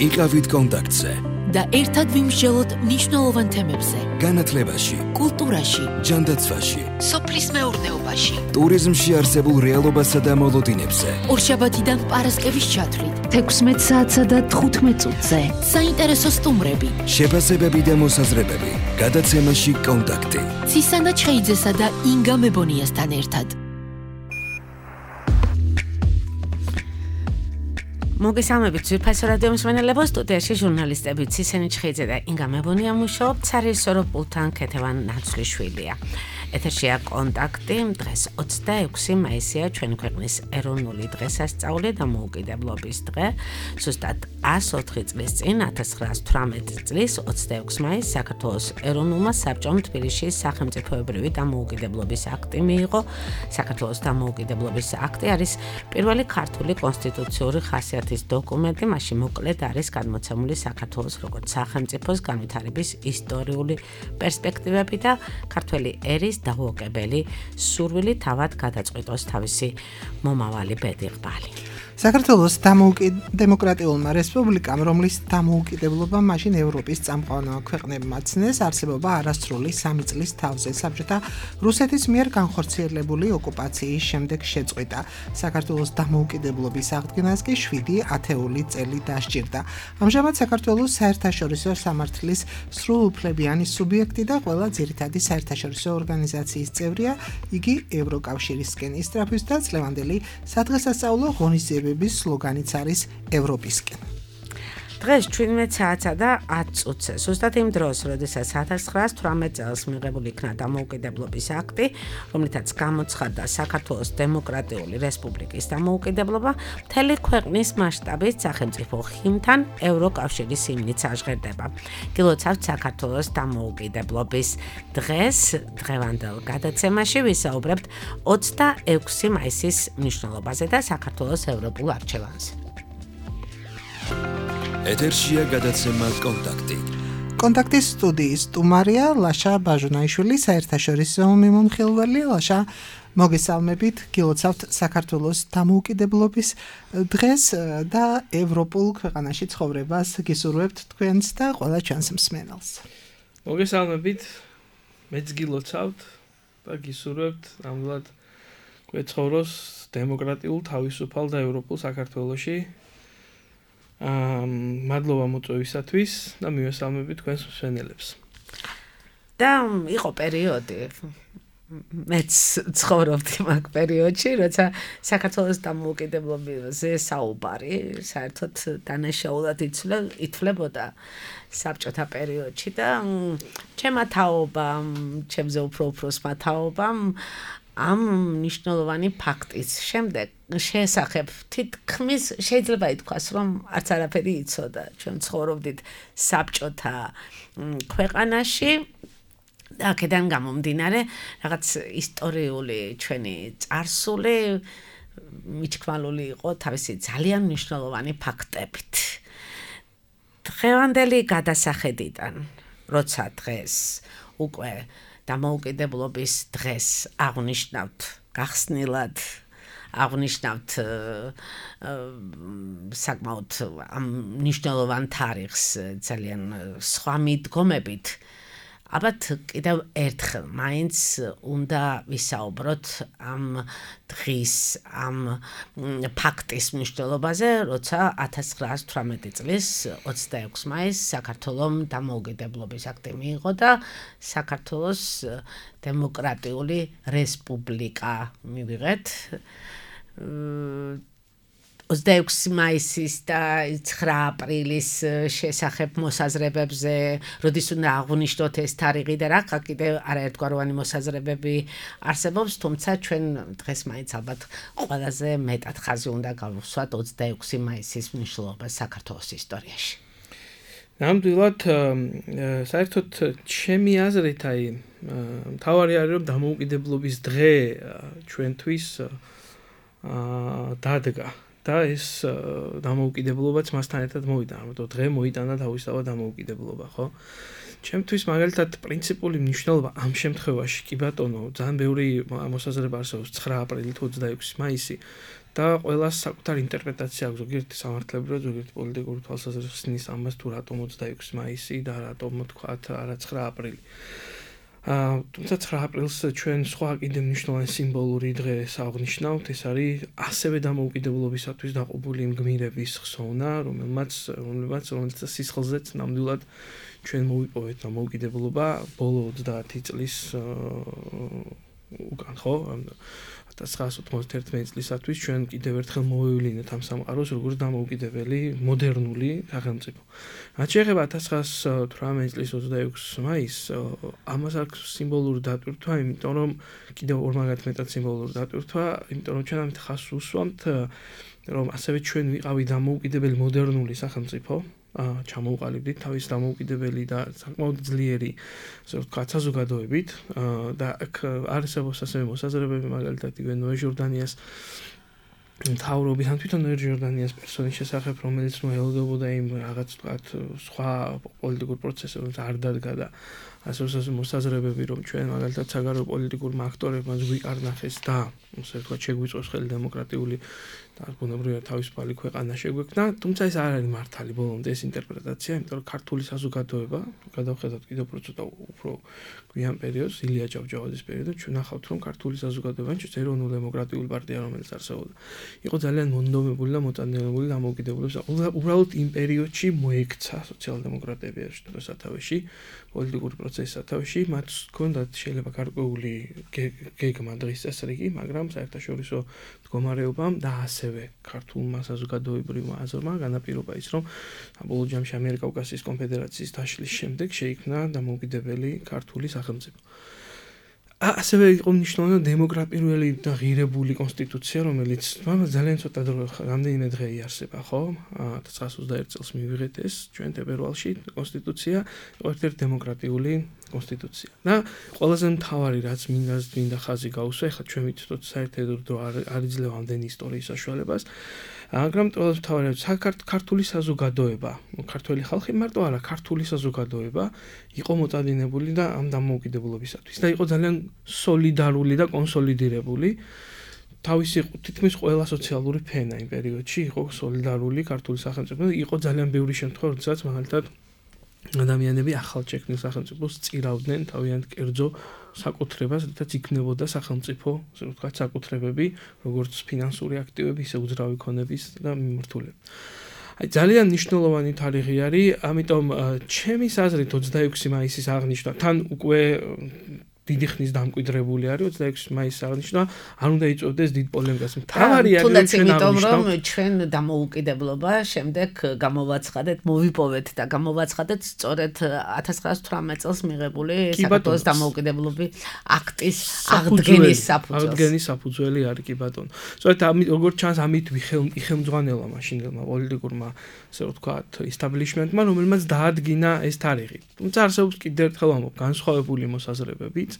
იყავით კონტაქტზე და ერთად ვიმსჯელოთ მნიშვნელოვან თემებზე. განათლებაში, კულტურაში, ჯანდაცვაში, სოფლის მეურნეობაში, ტურიზმში არსებულ რეალობასა და მოლოდინებზე. ორშაბათიდან პარასკევის ჩათვლით 16 საათსა და 15 წუთზე. საინტერესო სტუმრები, შეფასებები და მოსაზრებები. გადაცემაში კონტაქტი. ცისანა ჩხეიძესა და ინგა მებონიასთან ერთად. მოგესალმებით ძვირფასო რადიო მსმენელებო, სტუდიაში ჟურნალისტები ცისანი ჩხეიძე და ინგა მებონია მუშაობთ, სარისორო პულთან ქეთევან ნაცვლიშვილია. ეთერშია კონტაქტი, დღეს 26 მაისია, ჩვენი ქვეყნის ეროვნული დღესასწაული და მოუკიდებლობის დღე. ზუსტად 104 წლის წინ 1918 წლის 26 მაისს საქართველოს ეროვნულმა საბჭომ თბილისში სახელმწიფოებრივი დამოუკიდებლობის აქტი მიიღო. საქართველოს დამოუკიდებლობის აქტი არის პირველი ქართული კონსტიტუციური ხასიათის დოკუმენტი, მასში მოკლედ არის გადმოცემული საქართველოს როგორც სახელმწიფოს განვითარების ისტორიული პერსპექტივები და ქართველი ერის დაუოკებელი სურვილი თავად გადაწყვიტოს თავისი მომავალი ბედიღბალი. საქართველოს დემოკრატიულმა რესპუბლიკამ, რომლის დამოუკიდებლობა მაშინ ევროპის წამყვანმა ქვეყნებმა ცნეს, არსებობა არასრული 3 წლის თავზე საბჭოთა რუსეთის მიერ განხორციელებული ოკუპაციის შემდეგ შეწყვიტა. საქართველოს დამოუკიდებლობის აღდგენას კი 7 ათეული წელი დასჭირდა. ამჟამად საქართველოს საერთაშორისო სამართლის სრულუფლებიანი სუბიექტი და ყველა ძირითადი საერთაშორისო ორგანიზაციის წევრია, იგი ევროკავშირისკენ ისწრაფვის და წლევანდელი სადღესასწაულო ღონისძიებების სლოგანიც არის ევროპისკენ. დღეს 17 საათსა და 10 წუთზე, ზუსტად იმ დროს, როდესაც 1918 წელს მიღებული იქნა დამოუკიდებლობის აქტი, რომლითაც გამოცხადდა საქართველოს დემოკრატიული რესპუბლიკის დამოუკიდებლობა, მთელი ქვეყნის მასშტაბით სახელმწიფო ხიმთან ევროკავშირის ჰიმნიც აღჟღერდება. გილოცავთ საქართველოს დამოუკიდებლობის დღეს, დღევანდელ გადაცემაში ვისაუბრებთ 26 მაისის მნიშვნელობაზე და საქართველოს ევროპულ არჩევანზე. ეთერშია გადაცემა კონტაქტი. კონტაქტის სტუდიის სტუმარია ლაშა ბაჟუნაიშვილი, საერთაშორისო მიმომხილველი. ლაშა, მოგესალმებით, გილოცავთ საქართველოს დამოუკიდებლობის დღეს და ევროპულ ქვეყანაში ცხოვრებას გისურვებთ თქვენს და ყველა ჩვენს მსმენელს. მოგესალმებით, მეც გილოცავთ და გისურვებთ ნამდვილად გვეცხოვროს დემოკრატიულ, თავისუფალ და ევროპულ საქართველოში. მადლობა მოწვევისათვის და მივესალმებით თქვენს მსმენელებს. და იყო პერიოდი, მეც ცხოვრობდი მაგ პერიოდში, როცა საქართველოს დამოუკიდებლობაზე საუბარი საერთოდ დანაშაულად ითვლებოდა საბჭოთა პერიოდში და ჩემმა თაობამ, ჩემზე უფრო თაობამ ამ მნიშვნელოვანი ფაქტის შემდეგ შესახებ თითქმის შეიძლება ითქვას, რომ არც არაფერი იცოდა. ჩვენ ცხოვრობდით საბჭოთა ქვეყანაში და აქედან გამომდინარე რაღაც ისტორიული ჩვენი წარსული მიჩქმალული იყო თავისი ძალიან მნიშვნელოვანი ფაქტებით. დღევანდელი გადასახედიდან, როცა დღეს უკვე დამოუკიდებლობის დღეს აღნიშნავთ გახსნილად, აღნიშნავთ საკმაოდ ამ მნიშვნელოვან თარიღს ძალიან სხვა მიდგომებით, ალბათ კიდევ ერთხელ მაინც უნდა ვისაუბროთ ამ დღის, ამ ფაქტის მნიშვნელობაზე, როცა 1918 წლის 26 მაისს საქართველოს დამოუკიდებლობის აქტი მიიღო და საქართველოს დემოკრატიული რესპუბლიკა მივიღეთ. 26 მაისის და 9 აპრილის შესახებ მოსაზრებებზე, როდის უნდა აღვნიშნოთ ეს თარიღი და რა კიდევ არაერთგვაროვანი მოსაზრებები არსებობს, თუმცა ჩვენ დღეს მაინც ალბათ ყველაზე მეტად ხაზი უნდა გავუსვათ 26 მაისის მნიშვნელობას საქართველოს ისტორიაში. ნამდვილად, საერთოდ ჩემი აზრით, მთავარი არის, რომ დამოუკიდებლობის დღე ჩვენთვის დადგა. და ეს დამოუკიდებლობაც მასთან ერთად მოვიდა, ამიტომ დღე მოიტანა თავისთავად დამოუკიდებლობა, ხო? ჩემთვის მაგალითად პრინციპული მნიშვნელობა ამ შემთხვევაში კი ბატონო, ძალიან ბევრი მოსაზრება არსებობს 9 აპრილი თუ 26 მაისი. და ყველას საკუთარი ინტერპრეტაცია აქვს, ზოგიერთი სამართლებრივად, ზოგიერთი პოლიტიკური თვალსაზრისით ამას თუ რატომ 26 მაისი და რატომ თქვათ არა 9 აპრილი. თუმცა 9 აპრილს ჩვენ სხვა კიდევ მნიშვნელოვანი სიმბოლური დღე აღნიშნავთ, ეს არის ასევე დამოუკიდებლობისათვის დაყობული იმ გმირების ხსოვნა, რომელმაც სისხლზეც ნამდვილად ჩვენ მოვიპოვეთ დამოუკიდებლობა ბოლო 30 წლის უკან, ხო? 1991 წლისათვის ჩვენ კიდევ ერთხელ მოვევლინეთ ამ სამყაროს როგორც დამოუკიდებელი მოდერნული სახელმწიფო. რაც შეეხება 1918 წლის 26 მაისს, ამას აქვს სიმბოლური დატვირთვა, იმიტომ რომ კიდევ ორმაგად მეტად სიმბოლური დატვირთვა, იმიტომ რომ ჩვენ ამით ხაზს უსვამთ, რომ ასევე ჩვენ ვიყავი დამოუკიდებელი მოდერნული სახელმწიფო. ჩამოუყალიბდით თავის დამოუკიდებელი და საკმაოდ ძლიერი, ასე ვთქვათ, საზოგადოებით და აქ არსებობს ასევე მოსაზრებები, მაგალითად, ნოე ჟორდანიას მთავრობის ან თვითონ ნოე ჟორდანიას პერსონის შესახებ, რომელიც მოელოდებოდა იმ რაღაც ვთქვათ სხვა პოლიტიკურ პროცესებს არ დადგა და ასე მოსაზრებები, რომ ჩვენ მაგალითად საგარეო პოლიტიკურმა აქტორებმა გვიყარნახეს და ასე ვთქვათ შეგვიწვევს ხელი დემოკრატიული და ბუნებრივად თავისუფალი ქვეყანა შეგვექმნა, თუმცა ეს არ არის მართალი ბოლომდე ეს ინტერპრეტაცია, იმიტომ რომ ქართული საზოგადოება, გადავხედოთ კიდევ უფრო გვიან პერიოდს, ილია ჭავჭავაძის პერიოდს, ჩვენ ნახავთ, რომ ქართული საზოგადოება, ჩვენ ეროვნულ დემოკრატიული პარტია, რომელიც არსებობდა, იყო ძალიან მონდომებული და მოტანილებული დამოუკიდებლობის. უბრალოდ იმ პერიოდში მოექცა სოციალ-დემოკრატები სათავეში, პოლიტიკური პროცესის სათავეში, მათ ჰქონდათ შეიძლება გარკვეული გეგმა დღის წესრიგი, მაგრამ საერთაშორისო მდგომარეობამ და ასევე ქართულმა საზოგადოებრივმა აზრმა განაპირობა ის, რომ საბოლოო ჯამში ამიერკავკასიის კონფედერაციის დაშლის შემდეგ შეიქმნა დამოუკიდებელი ქართული სახელმწიფო. ასევე იყო მნიშვნელოვანი დემოკრატიული და ღირებული კონსტიტუცია, რომელიც ძალიან ცოტა დრო, რამდენიმე დღე იარსება, ხო? 1921 წელს მივიღეთ ეს ჩვენ თებერვალში კონსტიტუცია, ერთ-ერთი დემოკრატიული კონსტიტუცია. და ყველაზე მთავარი რაც მინდა ხაზი გაუსვა, ეხლა ჩვენ ვიცით საერთოდ არ იძლევა ამდენი ისტორიის საშუალებას, მაგრამ ყველაზე მთავარი ქართული საზოგადოება, ქართველი ხალხი მარტო არა, ქართული საზოგადოება იყო მოწადინებული და ამ დამოუკიდებლობისათვის და იყო ძალიან სოლიდარული და კონსოლიდირებული. თავისი თითქმის ყველა სოციალური ფენა იმ პერიოდში იყო სოლიდარული ქართული სახელმწიფო და იყო ძალიან ბევრი შემთხვევა, როდესაც მაგალითად ადამიანები ახალ შექმნილ სახელმწიფოს წირავდნენ თავიანთ კერძო საკუთრებას, რითაც იქნებოდა სახელმწიფო, ასე ვთქვათ, საკუთრებები, როგორც ფინანსური აქტივები, ისე უძრავი ქონების და მიმართულება. ძალიან მნიშვნელოვანი თარიღი არის, ამიტომ ჩემი აზრით 26 მაისის აღნიშვნა თან უკვე დიდი ხნის დამკვიდრებული არის 26 მაისის აღნიშვნა, არ უნდა იწვევდეს დიდ პოლემიკას. მთავარი არის თუნდაც იმიტომ რომ ჩვენ დამოუკიდებლობა შემდეგ გამოვაცხადეთ, მოვიპოვეთ და გამოვაცხადეთ სწორედ 1918 წელს მიღებული საქართველოს დამოუკიდებლობის აქტის აღდგენის საფუძველი არის კი ბატონო. სწორედ როგორც ჩანს ამით იხელმძღვანელა მაშინდელმა პოლიტიკურმა, ასე ვთქვათ, establishment-მა, რომელმაც დაადგინა ეს თარიღი. თუმცა არსებობს კიდევ ერთხელ ამბობ, განსხვავებული მოსაზრებებიც.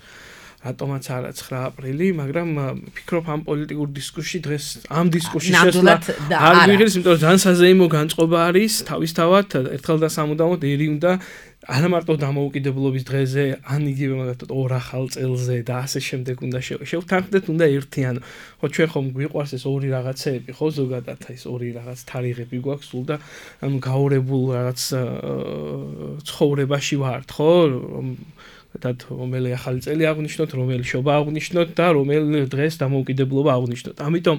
რატომაც არა 9 აპრილი, მაგრამ ფიქრობ ამ პოლიტიკურ დისკუსში დღეს ამ დისკუსში შესვლა არ ვიღირს, იმიტომ რომ ძალიან საზეიმო განწყობა არის, თავისთავად ერთხელ და სამუდამოდ ერი უნდა არა მარტო დამოუკიდებლობის დღეზე, ან იგივე მაგათად ორ ახალ წელზე და ასე შემდეგ უნდა შევთანხმდეთ, უნდა ერთიან. ხო ჩვენ ხომ გვიყვარს ეს ორი რაღაცეები, ხო ზოგადად ეს ორი რაღაც თარიღები გვაქვს სულ და ანუ გაორებულ რაღაც ცხოვრებაში ვართ, ხო? რომელი ახალი წელი აღნიშნოთ, რომელი შობა აღნიშნოთ და რომელ დღეს დამოუკიდებლობა აღნიშნოთ. ამიტომ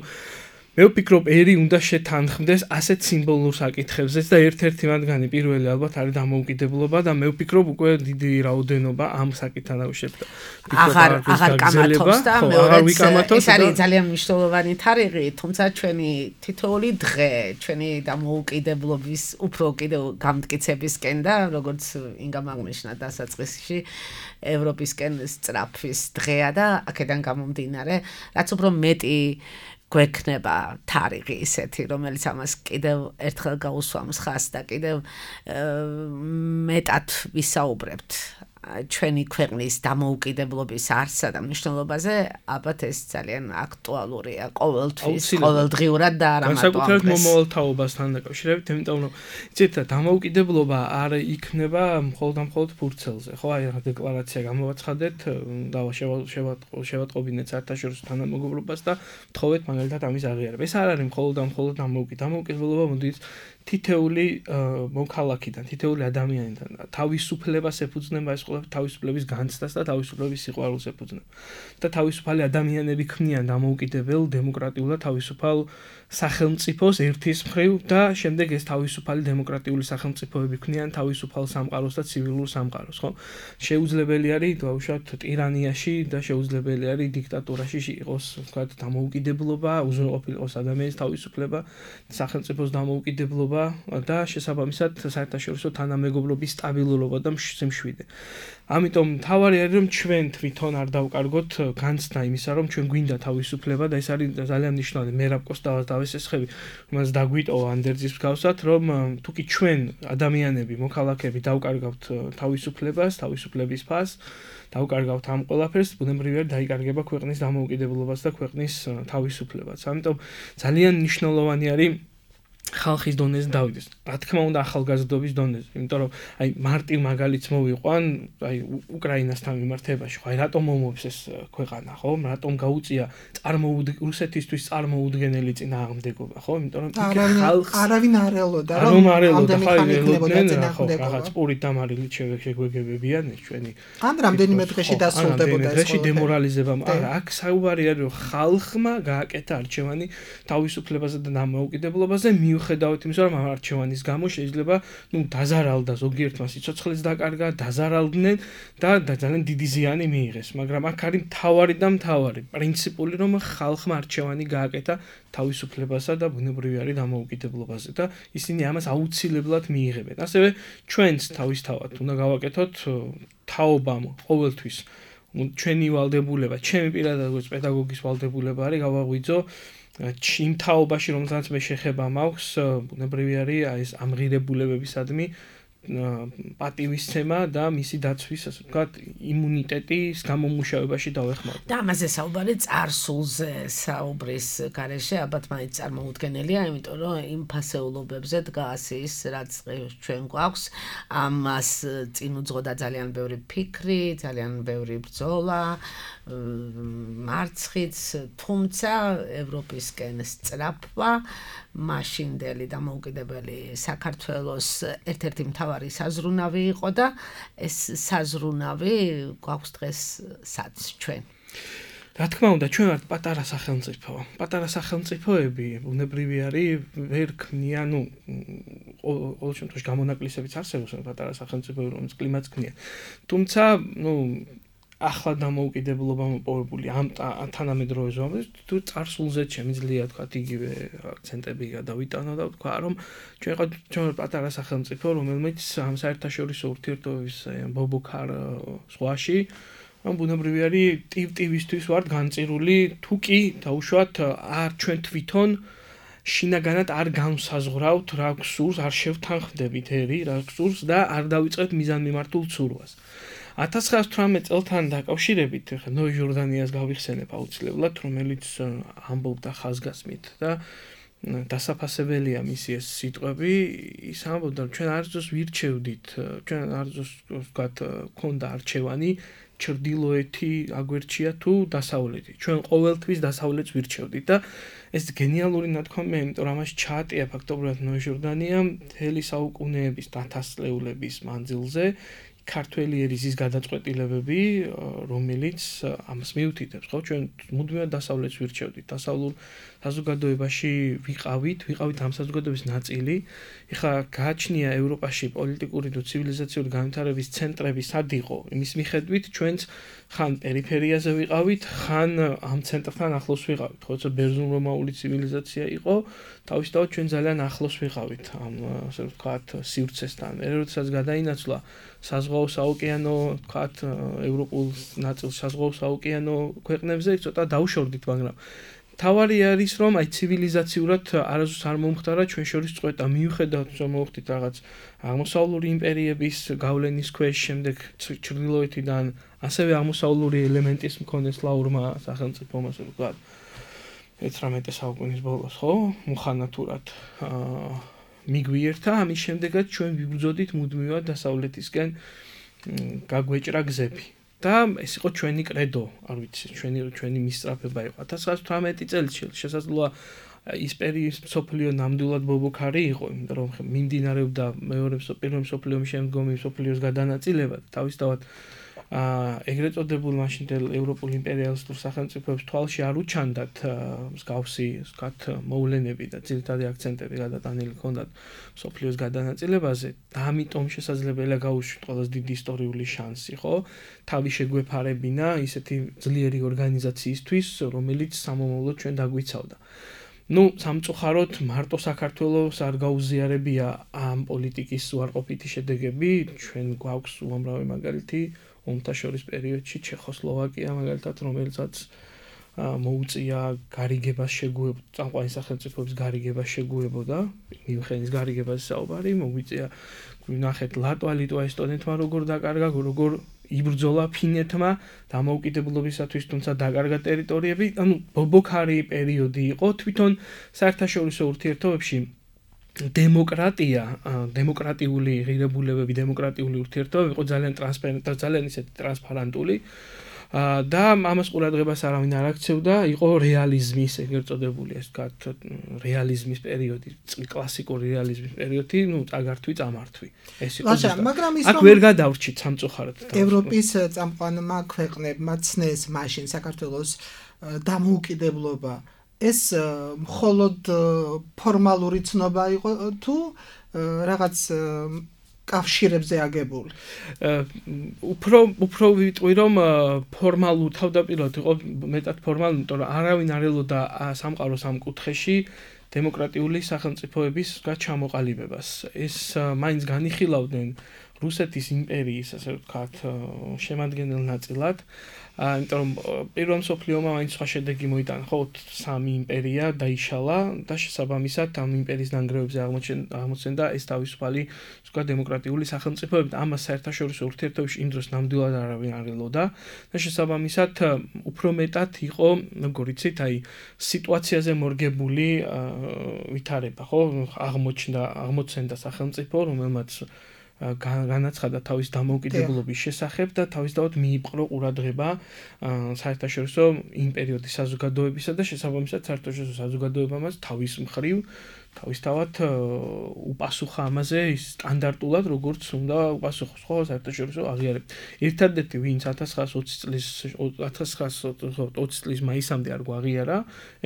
მე ვფიქრობ, ერი უნდა შეთანხმდეს ასეთ სიმბოლურ საკითხებზეც და ერთ-ერთი მათგანი პირველი ალბათ არის დამოუკიდებლობა და მე ვფიქრობ, უკვე დიდი რაოდენობა ამ საკითხთან დაკავშირებით. აღარ კამათობს და მეორეც ეს არის ძალიან მნიშვნელოვანი თარიღი, თუმცა ჩვენი თითოეული დღე, ჩვენი დამოუკიდებლობის უფრო კიდევ გამტკიცებისკენ და როგორც ინგამ აღნიშნა დასაწყისში ევროპისკენ სწრაფვის დღეა და აქედან გამომდინარე, რაც უფრო მეტი გვექნება თარიღი ისეთი, რომელიც ამას კიდევ ერთხელ გაუსვამს ხაზს და კიდევ მეტად ვისაუბრებთ ჩვენი ქვეყნის დამოუკიდებლობის არსსა და მნიშვნელობაზე ალბათ ეს ძალიან აქტუალურია ყოველთვის, ყოველდღიურად და არა მარტო განსაკუთრებით მომავალთაობასთან დაკავშირებით, იმიტომ რომ იცით დამოუკიდებლობა არ იქნება მხოლოდ ფურცელზე, ხო? აი რა დეკლარაცია გამოვაცხადეთ, შევატყობინეთ საერთაშორისო თანამეგობრობას და ვთხოვეთ მაგალითად ამის აღიარება. ეს არ არის მხოლოდ დამოუკიდებლობა მოდის თითეული მოქალაქიდან, თითეული ადამიანიდან თავისუფლებას ეფუძნება ეს ყველა თავისუფლების განცდას და თავისუფლების სიყვარულს ეფუძნება. და თავისუფალი ადამიანები ქმნიან დამოუკიდებელ, დემოკრატიულ და თავისუფალ სახელმწიფოს ერთის მხრივ და შემდეგ ეს თავისუფალი დემოკრატიული სახელმწიფოები ქმნიან თავისუფალ სამყაროს და ცივილურ სამყაროს, ხო? შეუძლებელი არის დავუშვათ ტირანიაში და შეუძლებელი არის დიქტატურაში იყოს, ვთქვათ, დამოუკიდებლობა, უზრუნველყოფილი იყოს ადამიანის თავისუფლება, სახელმწიფოს დამოუკიდებლობა და შესაბამისად საერთაშორისო თანამეგობრობის სტაბილურობა და სიმშვიდე. ამიტომ თავარი არის რომ ჩვენ თვითონ არ დავკარგოთ განცდა იმისა რომ ჩვენ გვინდა თავისუფლება და ეს არის ძალიან მნიშვნელოვანი. მერაბ კოსტავას დავესესხები, რომელსაც დაგვიტოვა ანდერძის მსგავსად, რომ თუკი ჩვენ ადამიანები, მოქალაქეები დავკარგავთ თავისუფლებას, თავისუფლების ფასს, დავკარგავთ ამ ყველაფერს, ბუნებრივად დაიკარგება ქვეყნის დამოუკიდებლობას და ქვეყნის თავისუფლებაც. ამიტომ ძალიან მნიშვნელოვანი არის ხალხის დონეზე დავიდეს. რა თქმა უნდა ახალგაზრდობის დონეზე, იმიტომ რომ აი მარტივ მაგალითს მოვიყვან, აი უკრაინასთან მიმართებაში, ხო, აი რატომ მომობს ეს ქვეყანა, ხო? რატომ გაუწია რუსეთისთვის წარმოუდგენელი წინააღმდეგობა, ხო? იმიტომ რომ ხალხს არავინ არ ელოდა, რომ ამდენი ხანი იქნებოდა წინააღმდეგობა. რაღაც პურით დამარილით შეგვეგებებიან ეს ჩვენი. ან რამდენიმე დღეში დასრულდებოდა ეს. დღეში დემორალიზება, არა, აქ საუბარი არის რომ ხალხმა გააკეთა არჩევანი თავისუფლებაზე და დამოუკიდებლობაზე მიუხედავად იმისა, რომ ამ არჩევანის გამო შეიძლება, დაზარალდა ზოგიერთმა სიცოცხლეც დაკარგა, დაზარალდნენ და ძალიან დიდი ზიანი მიიღეს, მაგრამ აქ არის მთავარი პრინციპული, რომ ხალხმა არჩევანი გააკეთა თავისუფლებასა და ბუნებრივი არის დამოუკიდებლობაზე და ისინი ამას აუცილებლად მიიღებენ. ასევე ჩვენც თავისთავად უნდა გავაკეთოთ თაობამ ყოველთვის ჩვენი ვალდებულება, ჩემი პირადად როგორც პედაგოგის ვალდებულება არის გავაღვიძო იმ თაობაში, რომელსაც მე შეხება მაქვს, ბუნებრივი არის ეს ამღირებულებებისადმი პატივისცემა და მისი დაცვის, ასე ვთქვათ, იმუნიტეტის გამომუშავებაში დავეხმაროთ. და ამაზე საუბარი წარსულზე საუბრის გარეშე ალბათ მაინც წარმოუდგენელია, იმიტომ რომ იმ ფასეულობებზე დგას ის, რაც ჩვენ გვაქვს, ამას წინ უძღოდა ძალიან ბევრი ფიქრი, ძალიან ბევრი ბრძოლა, მარცხიც, თუმცა ევროპისკენ სწრაფვა, მაშინდელი დამოუკიდებელი საქართველოს ერთ-ერთი მთავარი საზრუნავი იყო და ეს საზრუნავი გვაქვს დღესაც ჩვენ. რა თქმა უნდა, ჩვენ ვართ პატარა სახელმწიფო. პატარა სახელმწიფოები ბუნებრივი არის ვერ ქმნიან, ყოველ შემთხვევაში გამონაკლისებიც არსებობს პატარა სახელმწიფოები, რომელიც კლიმატს ქმნიან. თუმცა, ახლა დამოუკიდებლობა მოპოვებული ამ თანამედროვე ზომაზე თუ წარსულზე შემიძლია თქვა იგივე აქცენტები გადავიტანო და თქვა რომ ჩვენ პატარა სახელმწიფო რომელმიც ამ საერთაშორისო ურთიერთობების ბობოქარ ზღვაში ამ ბუნებრივი არის ტივ-ტივისთვის ვართ განწირული თუ კი დაუშვათ არ ჩვენ თვითონ შინაგანად არ განსაზღვრავთ რა გსურს არ შევთანხმდებით ერი რა გსურს და არ დავიწყებთ მიზანმიმართულ ცურვას 1918 წელთან დაკავშირებით ნოე ჟორდანიას გავიხსენებ აუცილებლად, რომელიც ამბობდა ხაზგასმით და დასაფასებელია მისი ეს სიტყვები, ის ამბობდა, რომ ჩვენ არცოს ვირჩევდით, ჩვენ არცოს ვთქვათ, ქონდა არჩევანი, ჩრდილოეთი აგვერჩია თუ დასავლეთი. ჩვენ ყოველთვის დასავლეთს ვირჩევდით და ეს გენიალური ნათქვამია, იმიტომ რომ ამაში ჩაატია ფაქტობრივად ნოე ჟორდანია მთელი საუკუნეების დათასწლეულების მანძილზე ქართველი ერისის გადაწყვეტილებები, რომელიც ამას მიუთითებს, ხო, ჩვენ მუდმივად დასავლეთს ვირჩევდით, დასავლურ საზოგადოებაში ვიყავით ამ საზოგადოების ნაწილი. ეხლა გააჩნია ევროპაში პოლიტიკური და ცივილიზაციური განვითარების ცენტრები სად იყო? იმის მიხედვით ჩვენც ხან პერიფერიაზე ვიყავით, ხან ამ ცენტრთან ახლოს ვიყავით, ხო, ბერძნულ-რომაული ცივილიზაცია იყო, თავისთავად ჩვენ ძალიან ახლოს ვიყავით ამ, ასე ვთქვათ, სივრცესთან. როდესაც გადაინაცვლა საზღვაო საოკეანო, ვთქვათ, ევროპულ ნაწილს საზღვაო საოკეანო ქვეყნებზე ცოტა დაუშორდით, მაგრამ თავარი არის რომ აი ცივილიზაციურად არასდროს არ მომხდარა ჩვენ შორის წყვეტა მიუხედავად რომ მოხდით რაღაც აღმოსავლური იმპერიების გავლენის ქვეშ შემდეგ ჩრდილოეთიდან ასევე აღმოსავლური ელემენტის მქონე სლავურმა სახელმწიფომ ასე ვთქვათ 19 საუკუნის ბოლოს ხო მუხანათურად მიგვიერთა ამის შემდეგაც ჩვენ ვიბრძოდით მუდმივად დასავლეთისკენ გაგვეჭრა გზები და ეს იყო ჩვენი კრედო არ ვიცი ჩვენი მისწრაფება იყო 1918 წელს შესაძლოა ის პერიოდი სოფლიო ნამდვილად ბობოქარი იყო იმიტომ რომ მიმდინარეობდა პირველ სოფლიო ომის შემდგომი სოფლიოს გადანაწილება თავისთავად ეგრეთ წოდებულ მაშინდელ ევროპულ იმპერიალისტურ სახელმწიფოებს თვალში არ უჩანდათ მსგავსი ვთქვათ მოვლენები და ძირითადი აქცენტები გადატანილი ჰქონდათ სოფლიოს გადანაწილებაზე და ამიტომ შესაძლებელია გაუშვით ყველაზე დიდი ისტორიული შანსი ხო თავი შეგვეფარებინა ისეთი ძლიერი ორგანიზაციისთვის რომელიც სამომავლოდ ჩვენ დაგვიცავდა ну სამწუხაროდ მარტო საქართველოს არ გაუზიარებია ამ პოლიტიკის უარყოფითი შედეგები ჩვენ გვაქვს უამრავი მაგალითი ომთა შორის პერიოდში ჩეხოსლოვაკია მაგალითად რომელსაც მოუწია გარიგებას შეგუებოდა წამყვანი სახელმწიფოების გარიგებას შეგუებოდა მიუნხენის გარიგებას საუბარი მოუწია გვინახეთ ლიტვა ესტონეთმა როგორ დაკარგა როგორ იბრძოლა ფინეთმა დამოუკიდებლობისათვის თუმცა დაკარგა ტერიტორიები ანუ ბობოქარი პერიოდი იყო თვითონ საერთაშორისო ურთიერთობებში დემოკრატია დემოკრატიული ღირებულებები დემოკრატიული ურთიერთობები იყო ძალიან ტრანსპარენტული და ძალიან ისეთი ტრანსპარენტული და ამას ყურადღებას არავინ არ აქცევდა იყო რეალიზმის ეგრეთ წოდებული ეს ვთქვათ რეალიზმის პერიოდი კლასიკური რეალიზმის პერიოდი ну წაგართვი წამართვი ეს იყო მაგრამ ის აქ ვერ გადავრჩით სამწუხაროდ ევროპის წამყვანმა ქვეყნებმა ცნეს მაშინ საქართველოს დამოუკიდებლობა ეს მხოლოდ ფორმალური ცნობა იყო თუ რაღაც კავშირებზე აგებული. უფრო ვიტყვი რომ ფორმალურ თავდაპირველად იყო მეტად ფორმალური, იმიტომ რომ არავინ არ ელოდა სამყაროს ამ კუთხეში დემოკრატიული სახელმწიფოების ჩამოყალიბებას. ეს მაინც განიხილავდნენ რუსეთის იმპერიის, ასე ვთქვათ, შემადგენელ ნაწილად. იმიტომ რომ პირველ მსოფლიო ომმა მაინც სხვა შედეგი მოიტანა, ხო, სამი იმპერია დაიშალა და შესაბამისად ამ იმპერიის ნანგრევებზე აღმოცენდა ეს თავისუფალი, ვთქვათ, დემოკრატიული სახელმწიფოები. ამას საერთაშორისო ურთიერთობებში იმ დროს ნამდვილად არავინ არ ელოდა და შესაბამისად უფრო მეტად იყო, როგორ იცით, აი სიტუაციაზე მორგებული ვითარება, ხო, აღმოცენდა სახელმწიფო, რომელმაც განაცხადა თავის დამოუკიდებლობის შესახებ და თავისთავად მიიპყრო ყურადღება საერთაშორისო იმ პერიოდის საზოგადოებისა და შესაბამისად საერთაშორისო საზოგადოებამაც თავის მხრივ თავისთავად უპასუხა ამაზე სტანდარტულად როგორც უნდა უპასუხოს ხო საერთაშორისო აღიარებით. ერთადერთი ვინც 1920 წლის მაისამდე არ გვაღიარა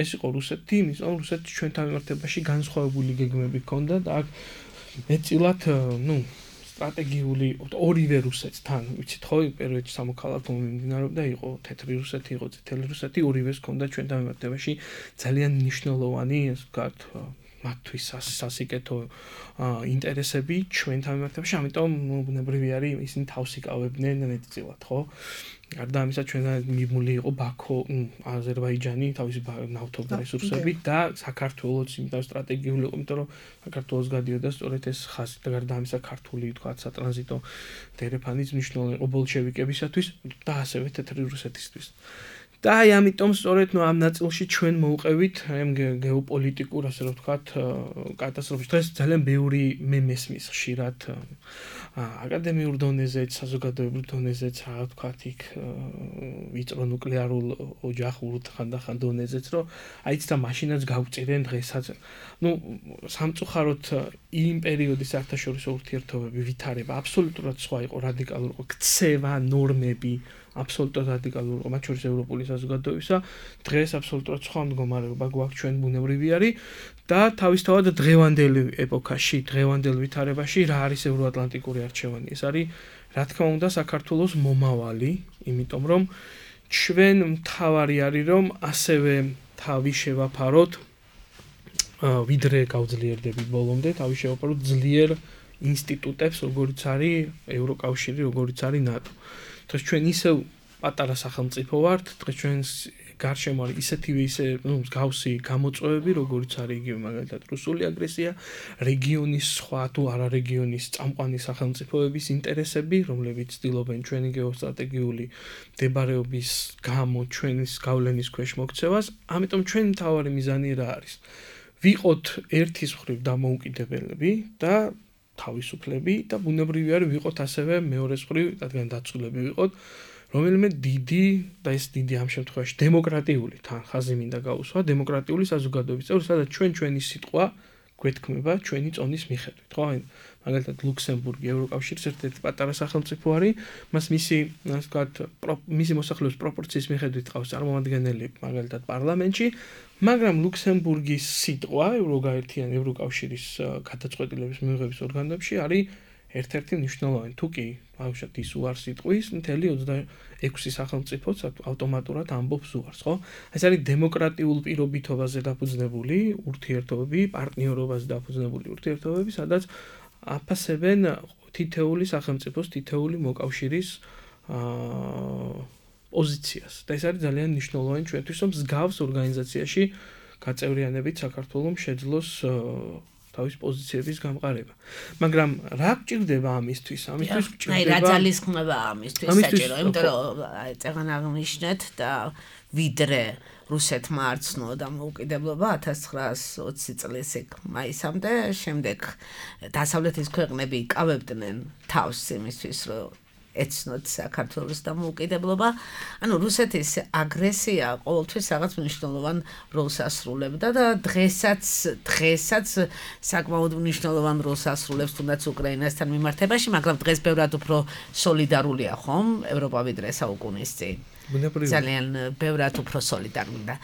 ეს იყო რუსეთი, იმის რომ რუსეთს ჩვენთან მიმართებაში განსხვავებული გეგმები ჰქონდა და აქ მეტწილად სტრატეგიული ორივე რუსეთთან, ვიცით ხო, პერიოდში სამოქალაქო მიმდინარეობდა, იყო თეთრი რუსეთი, იყო წითელი რუსეთი, ორივეს ჰქონდა ჩვენთან მიმართებაში ძალიან მნიშვნელოვანი, ასე ვთქვათ, მათთვის სასიკეთო ინტერესები ჩვენთან მიმართებაში, ამიტომ ბუნებრივი არის ისინი თავს იკავებდნენ მეტწილად, ხო? გარდა ამისა ჩვენთან მიმული იყო ბაქო, აზერბაიჯანი, თავისი ნავთობი რესურსებით და საქართველოც იმიტომ სტრატეგიული იყო, იმიტომ რომ საქართველოს გადიოდა სწორედ ეს ხაზი და გარდა ამისა ქართული, ვთქვათ, სატრანზიტო დერეფანიც მნიშვნელოვანი იყო ბოლშევიკებისათვის და ასევე თეთრი რუსეთისთვის. და აი ამიტომ სწორედ ამ ნაწილში ჩვენ მოვყევით ამ გეოპოლიტიკურ, ასე რომ ვთქვათ, კატასტროფის. დღეს ძალიან ბევრი მე მესმის ხშირად აკადემიურ დონეზეც, საზოგადოებრივ დონეზეც, რა ვთქვათ, იქ ვიწრო ნუკლეარულ ოჯახურ ხანდახან დონეზეც, რომ აიც და მაშინაც გავწირენ დღესაც. სამწუხაროდ იმ პერიოდის საერთაშორისო ურთიერთობები ვითარება აბსოლუტურად სხვა იყო, რადიკალური იყო, ქცევა, ნორმები აბსოლუტურად რადიკალური იყო, მათ შორის ევროპული საზოგადოებისა. დღეს აბსოლუტურად სხვა მდგომარეობა გვაქვს ჩვენ ბუნებრივი არის და თავისთავად დღევანდელი ეპოქაში, დღევანდელ ვითარებაში რა არის ევროატლანტიკური არჩევანი? ეს არის, რა თქმა უნდა, საქართველოს მომავალი, იმიტომ რომ ჩვენ მთავარი არის რომ ასევე თავი შევაფაროთ ვიდრე გავძლიერდებით ბოლომდე, თავი შევაფაროთ ძლიერ ინსტიტუტებს, როგორიც არის ევროკავშირი, როგორიც არის ნატო. დღეს ჩვენ ისევ პატარა სახელმწიფო ვართ, დღეს ჩვენ გარშემო არის ისეთივე ისე მსგავსი გამოწვევები, როგორიც არის იგივე მაგალითად რუსული აგრესია, რეგიონის სხვა თუ არა რეგიონის წამყვანი სახელმწიფოების ინტერესები, რომლებიც ცდილობენ ჩვენი გეოსტრატეგიული მდებარეობის გამო ჩვენის გავლენის ქვეშ მოქცევას, ამიტომ ჩვენი მთავარი მიზანი რა არის? ვიყოთ ერთის მხრივ დამოუკიდებლები და თავისუფლები და ბუნებრივი არის ვიყოთ ასევე მეორეს მხრივ, რადგან დაცულები ვიყოთ, რომელიმე დიდი და ეს დიდი ამ შემთხვევაში დემოკრატიული თან ხაზი მინდა გაუსვა, დემოკრატიული საზოგადოების წევრი, სადაც ჩვენი სიტყვა გვეთქმება ჩვენი წონის მიხედვით, ხო? მაგალითად ლუქსემბურგი ევროკავშირის ერთ-ერთი პატარა სახელმწიფო არის, მას მისი, ასე ვთქვათ, მისი მოსახლეობის პროპორციის მიხედვით ყავს წარმომადგენელი მაგალითად პარლამენტში, მაგრამ ლუქსემბურგის სიტყვა ევროკავშირის გადაწყვეტილების მიღების ორგანოებში არის ერთ-ერთი მნიშვნელოვანი. თუ კი ბავშვად ის უარს იტყვის, მთელი 26 სახელმწიფოც ავტომატურად ამბობს უარს, ხო? ეს არის დემოკრატიულ პირობითობაზე დაფუძნებული ურთიერთობები, პარტნიორობაზე დაფუძნებული ურთიერთობები, სადაც აფასებენ თითეული სახელმწიფოს, თითეული მოკავშირის პოზიციას. და ეს არის ძალიან მნიშვნელოვანი ჩვენთვის, რომ მსგავს ორგანიზაციაში გაწევრიანებით საქართველოს შეძლოს თავის პოზიციების გამყარება. მაგრამ რა გჭირდება ამისთვის? ამისთვის გჭირდება რა ძალისხმევა ამისთვის საჭირო, იმიტომ რომ წეგან აღნიშნეთ და ვიდრე რუსეთმა არცნო დამოუკიდებლობა 1920 წლის მაისამდე, შემდეგ დასავლეთის ქვეყნები იკავებდნენ თავს იმისთვის, რომ ეცნოთ საქართველოს დამოუკიდებლობა. ანუ რუსეთის აგრესია ყოველთვის რაღაც მნიშვნელოვან როლს ასრულებდა და დღესაც საკმაოდ მნიშვნელოვან როლს ასრულებს თუნდაც უკრაინასთან მიმართებაში, მაგრამ დღეს ბევრად უფრო სოლიდარულია ხომ ევროპა ვიდრე საუკუნის წინ. ძალიან ბევრად უფრო სოლიდარული და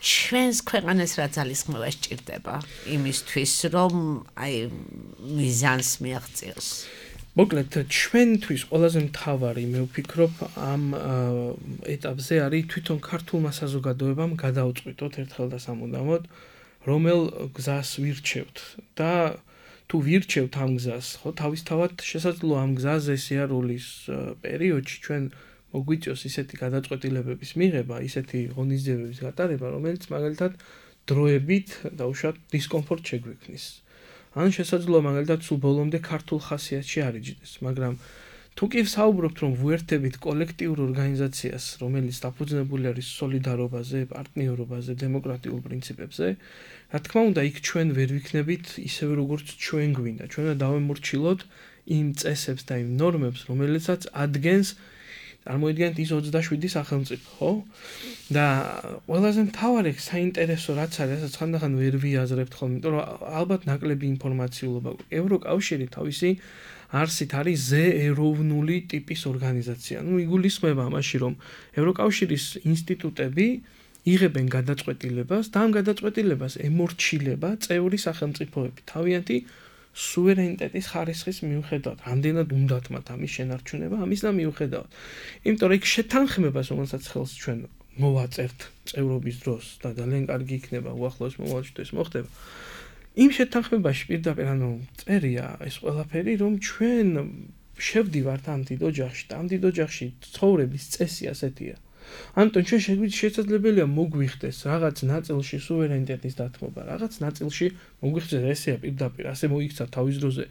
ჩვენს ქვეყანას რა ძალისხმევა სჭირდება იმისთვის, რომ მიზანს მიაღწიოს. მოკლედ ჩვენთვის ყველაზე მთავარი მე ვფიქრობ ამ ეტაპზე არის თვითონ ქართულმა საზოგადოებამ გადაუწყვიტოთ ერთხელ და სამუდამოდ რომელ გზას ვირჩევთ და თუ ვირჩევთ ამ გზას, ხო, თავისთავად შესაძლოა ამ გზაზე სიარულის პერიოდში ჩვენ მოგვიწევს ისეთი გადაწყვეტილებების მიღება, ისეთი ღონისძიებების გატარება, რომელიც მაგალითად დროებით დაუშვათ დისკომფორტს შეგვექმნის. ან შესაძლოა მაგალითად სულ ბოლომდე ქართულ ხასიათში არიჯდეს, მაგრამ თუ კი ვსაუბრობთ რომ ვუერთდებით კოლექტიურ ორგანიზაციას, რომელიც დაფუძნებული არის სოლიდარობაზე, პარტნიორობაზე, დემოკრატიულ პრინციპებზე, რა თქმა უნდა, იქ ჩვენ ვერ ვიქნებით ისევე როგორც ჩვენ გვინდა. ჩვენ უნდა დავემორჩილოთ იმ წესებს და იმ ნორმებს, რომელიცაც ადგენს წარმოიდგენთ ის 27 სახელმწიფო, ხო? და ყველაზე მთავარი საინტერესო რაც არის, რასაც ხანდახან ვერ ვიაზრებთ ხოლმე, იმიტომ რომ ალბათ ნაკლები ინფორმაციულობა. ევროკავშირი თავისი არსით არის ზეეროვნული ტიპის ორგანიზაცია. ნუ იგულისხმება ამაში, რომ ევროკავშირის ინსტიტუტები იღებენ გადაწყვეტილებას და ამ გადაწყვეტილებას ემორჩილება წევრი სახელმწიფოები თავიანთი სუვერენიტეტის ხარისხის მიუხედავად, რამდენად უნდათ მათ ამის შენარჩუნება, ამის და მიუხედავად. იმიტომ რომ იქ შეთანხმებას, რომელსაც ხელს ჩვენ მოვაწერთ წევრობის დროს და ძალიან კარგი იქნება უახლოეს მომავალში თუ ეს მოხდება. იმ შეთანხმებაში პირდაპირ წერია ეს ყველაფერი, რომ ჩვენ შევდივართ ამ დიდ ოჯახში და ამ დიდ ოჯახში ცხოვრების წესი ასეთია. ამიტომ ჩვენ შესაძლებელია მოგვიხდეს რაღაც ნაწილში სუვერენიტეტის დათმობა, რაღაც ნაწილში მოგვიხდეს ესეა პირდაპირ, ასე მოიქცა თავის დროზე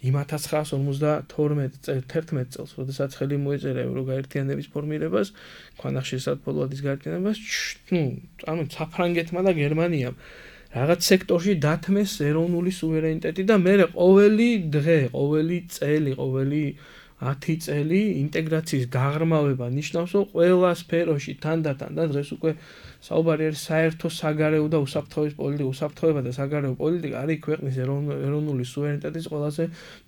იმ 1952 წელს, როდესაც ხელი მოეწერა ევროგაერთიანების ფორმირებას, ქვანახშირ საფოლოადის გაერთიანებას, საფრანგეთმა და გერმანიამ რაღაც სექტორში დათმეს ეროვნული სუვერენიტეტი და მე ყოველი დღე, ყოველი წელი, ყოველი 10 წელი ინტეგრაციის გაღრმავება ნიშნავს, რომ ყველა სფეროში თანდათან და დღეს უკვე საუბარი არის საერთო საგარეო და უსაფრთხოების პოლიტიკა, უსაფრთხოება და საგარეო პოლიტიკა არის ქვეყნის ეროვნული სუვერენიტეტის ყველაზე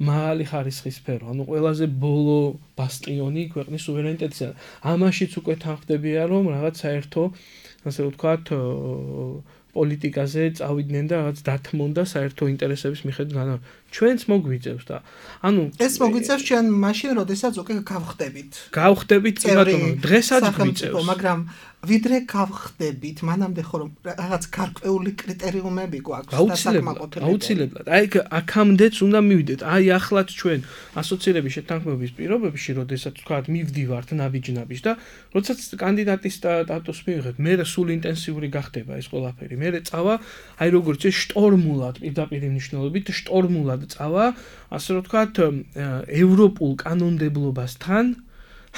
მაღალი ხარისხის სფერო, ანუ ყველაზე ბოლო ბასტიონი ქვეყნის სუვერენიტეტისა. ამაშიც უკვე თანხმდებიან, რომ რაღაც საერთო, ასე ვთქვათ, პოლიტიკაზე წავიდნენ და რაღაც დათმონ და საერთო ინტერესების მიხედვით ჩვენც მოგვიწევს და ანუ ეს მოგვიწევს ჩვენ მაშინ როდესაც უკვე გავხდებით. გავხდებით, ბატონო, დღესაც გვიწევს. მაგრამ ვიდრე გავხდებით, მანამდე ხო რომ რაღაც გარკვეული კრიტერიუმები გვაქვს და საკმაყოფილებელი. აუცილებლად. აი აქამდეც უნდა მივიდეთ. აი ახლაც ჩვენ ასოცირების შეთანხმების პირობებში, როდესაც თქვათ მივდივართ ნაბიჯ-ნაბიჯ და როდესაც კანდიდატის სტატუსს მივიღებთ, მე სულ ინტენსიური გახდება ეს ყველაფერი. მე წავა, აი როგორც ეს შტორმულად პირდაპირ მნიშვნელობით შტორმულად წავა, ასე რომ თქვათ, ევროპულ კანონმდებლობასთან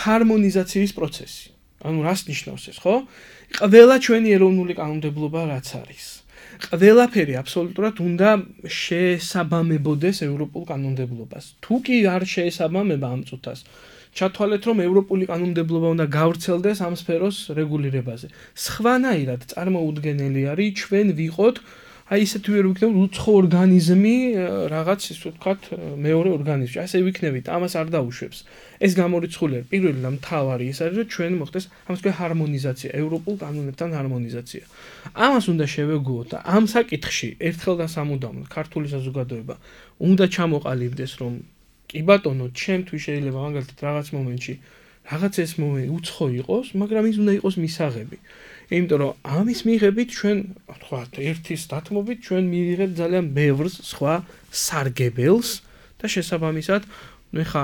ჰარმონიზაციის პროცესი. ანუ რას ნიშნავს ეს, ხო? ყველა ჩვენი ეროვნული კანონმდებლობა რაც არის. ყველაფერი აბსოლუტურად უნდა შეესაბამებოდეს ევროპულ კანონმდებლობას. თუ კი არ შეესაბამება ამ წუთას, ჩათვალეთ რომ ევროპული კანონმდებლობა უნდა გავრცელდეს ამ სფეროს რეგულირებაზე. სხვანაირად წარმოუდგენელი არის ჩვენ ვიყოთ აი ისეთი ვერ ვიქნებით უცხო ორგანიზმი რაღაც ისე ვთქვათ მეორე ორგანიზმი. ასე ვიქნებით, ამას არ დაუშვებს. ეს გამორიცხულია პირველი და მთავარი ის არის რომ ჩვენ მოხდეს ამას თქვენ ჰარმონიზაცია, ევროპულ კანონებთან ჰარმონიზაცია. ამას უნდა შევეგუოთ და ამ საკითხში ერთხელ და სამუდამოდ ქართული საზოგადოება უნდა ჩამოყალიბდეს რომ კი ბატონო, ჩემთვის შეიძლება მაგალითად რაღაც მომენტში რაღაც ეს მომენტი უცხო იყოს, მაგრამ ის უნდა იყოს მისაღები. იმიტომ რომ ამის მიღებით ჩვენ თქვათ ერთის დათმობით ჩვენ მივიღებთ ძალიან ბევრ სხვა სარგებელს და შესაბამისად ნუ ხა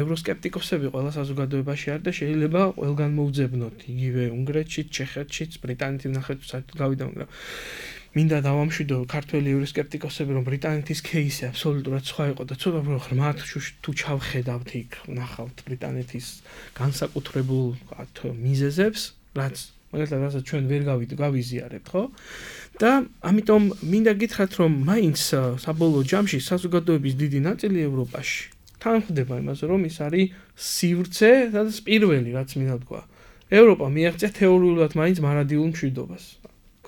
ევროსკეპტიკოსები ყველა საზოგადოებაში არის და შეიძლება ყველგან მოუძებნოთ იგივე უნგრეთშიც, ჩეხეთშიც, ბრიტანეთის ნახევარკუნძულზე საერთოდ გავიდა, მაგრამ მინდა დავამშვიდო ქართველი ევროსკეპტიკოსები რომ ბრიტანეთის кейსი აბსოლუტურად სხვა იყო და ცოტა უფრო ღრმად თუ ჩავხედავთ იქ ნახავთ ბრიტანეთის განსაკუთრებულ ვთქვათ მიზეზებს, რაც მაგალითად ჩვენ ვერ გავიზიარებთ, ხო? და ამიტომ მინდა გითხრათ რომ მაინც საბოლოო ჯამში საზოგადოების დიდი ნაწილი ევროპაში თანხმდება იმაზე რომ ის არის სივრცე, სადაც პირველი რაც მინდა თქვა. ევროპა მიაღწია თეორიულად მაინც მარადიულ მშვიდობას.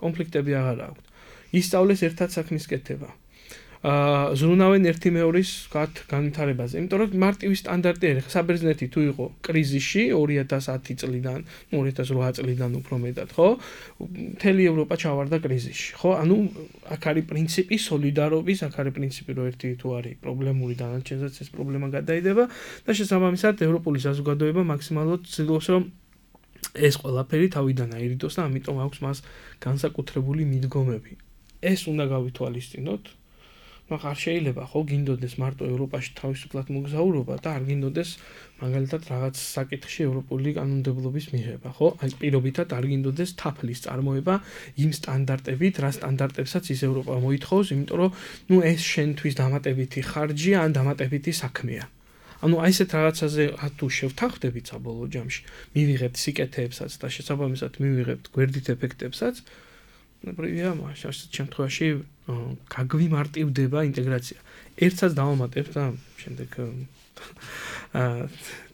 კონფლიქტები აღარ აქვს. ისწავლეს ერთად საქმის კეთება. ზრუნავენ ერთი მეორის განვითარებაზე. იმიტომ რომ მარტივი სტანდარტი არის. საბერძნეთი თუ იყო კრიზისში 2010 წლიდან, 2008 წლიდან უფრო მეტად, ხო? მთელი ევროპა ჩავარდა კრიზისში, ხო? ანუ აქ არის პრინციპი სოლიდარობის, აქ არის პრინციპი რომ ერთი თუ არის პრობლემური დანარჩენსაც ეს პრობლემა გადაიდება და შესაბამისად ევროპული საზოგადოება მაქსიმალურად ცდილობს რომ ეს ყველაფერი თავიდან აირიდოს და ამიტომ აქვს მას განსაკუთრებული მიდგომები. ეს უნდა გავითვალისწინოთ. მაგრამ არ შეიძლება ხო გინდოდეს მარტო ევროპაში თავისუფლად მოგზაურობა და არ გინდოდეს მაგალითად რაღაც საკითხში ევროპული კანონმდებლობის მიღება, ხო? აი პირობითად არ გინდოდეს თაფლის წარმოება იმ სტანდარტებით, რა სტანდარტებსაც ის ევროპა მოითხოვს, იმიტომ რომ ნუ ეს შენთვის დამატებითი ხარჯია ან დამატებითი საქმეა. ანუ აი ესეთ რაღაცაზე თუ შევთანხმდებით საბოლოო ჯამში, მივიღებთ სიკეთეებსაც და შესაბამისად მივიღებთ გვერდით ეფექტებსაც, პრევია მაშინ შემთხვევაში გაგვიმარტივდება ინტეგრაცია. ერთსაც დავამატებ და შემდეგ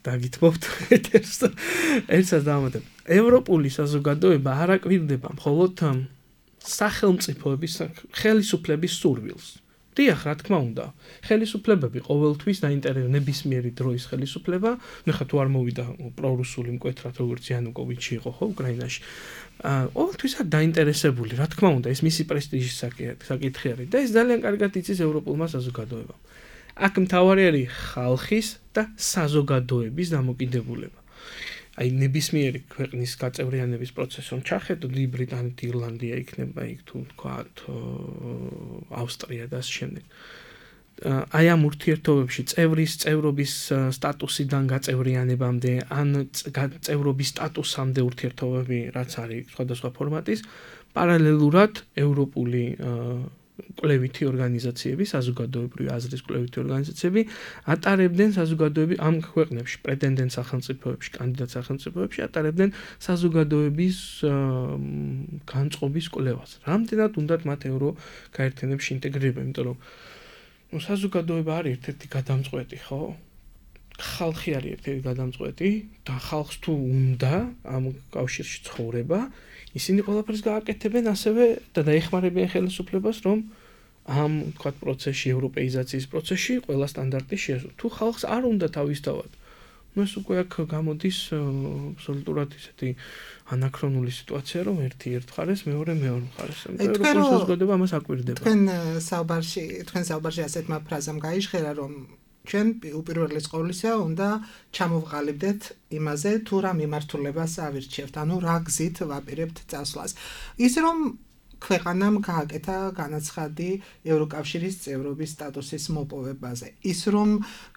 დაგითმობთ ერთსაც დავამატებ. ევროპული საზოგადოება არ აკვირდება მხოლოდ სახელმწიფოების ხელისუფლების სურვილს. დიახ, რა თქმა უნდა. ხელისუფლებები ყოველთვის დაინტერესებენ ნებისმიერი დროის ხელისუფლება, ნუ ხა თუ არ მოვიდა პრორუსული მკვეთრად როგორც იანუკოვიჩი იყო ხო უკრაინაში. ყოველთვის არ დაინტერესებული, რა თქმა უნდა, ეს მისი პრესტიჟის საკითხი არის და ეს ძალიან კარგად იცის ევროპულმა საზოგადოებამ. აქ მთავარი არის ხალხის და საზოგადოების დამოკიდებულება. აი ნებისმიერი ქვეყნის გაწევრიანების პროცესს რომ ჩახედოთ, ბრიტანეთი, ირლანდია იქნება იქ თუ თქვათ ავსტრია და ასე შემდეგ. აი ამ ურთიერთობებში წევრობის სტატუსიდან გაწევრიანებამდე ან წევრობის სტატუსამდე ურთიერთობები რაც არის სხვადასხვა ფორმატის, პარალელურად ევროპული კვლევითი ორგანიზაციები, საზოგადოებრივი აზრის კვლევითი ორგანიზაციები ატარებდნენ საზოგადოების ამ ქვეყნებში, პრეტენდენტ სახელმწიფოებში, კანდიდატ სახელმწიფოებში ატარებდნენ საზოგადოების განწყობის კვლევას. რამდენად უნდათ მათ ევროკაერთიანებში ინტეგრირება, იმიტომ რომ საზოგადოება არის ერთ-ერთი გადამწყვეტი, ხო? ხალხი არის ერთ-ერთი გადამწყვეტი და ხალხს თუ უნდა ამ კავშირში ცხოვრება, ისინი ყველაფერს გააკეთებენ ასევე და დაეხმარებიან ხელისუფლებას, რომ ამ თქვათ პროცესში, ევროპეიზაციის პროცესში ყველა სტანდარტი შეესრულოს. თუ ხალხს არ უნდა თავისთავად, ნუ ეს უკვე აქ გამოდის აბსოლუტურად ისეთი ანაქრონული სიტუაცია, რომ ერთი ერთ მხარეს, მეორე მხარეს. ევროპული საზოგადოება ამას აკვირდება. თქვენ საუბარში ასეთმა ფრაზამ გაიჟღერა, რომ ჩვენ უპირველეს ყოვლისა უნდა ჩამოვყალიბდეთ იმაზე, თუ რა მიმართულებას ავირჩევთ, ანუ რა გზით ვაპირებთ წასვლას. ის რომ ქვეყანამ გააკეთა განაცხადი ევროკავშირის წევრობის სტატუსის მოპოვებაზე. ის რომ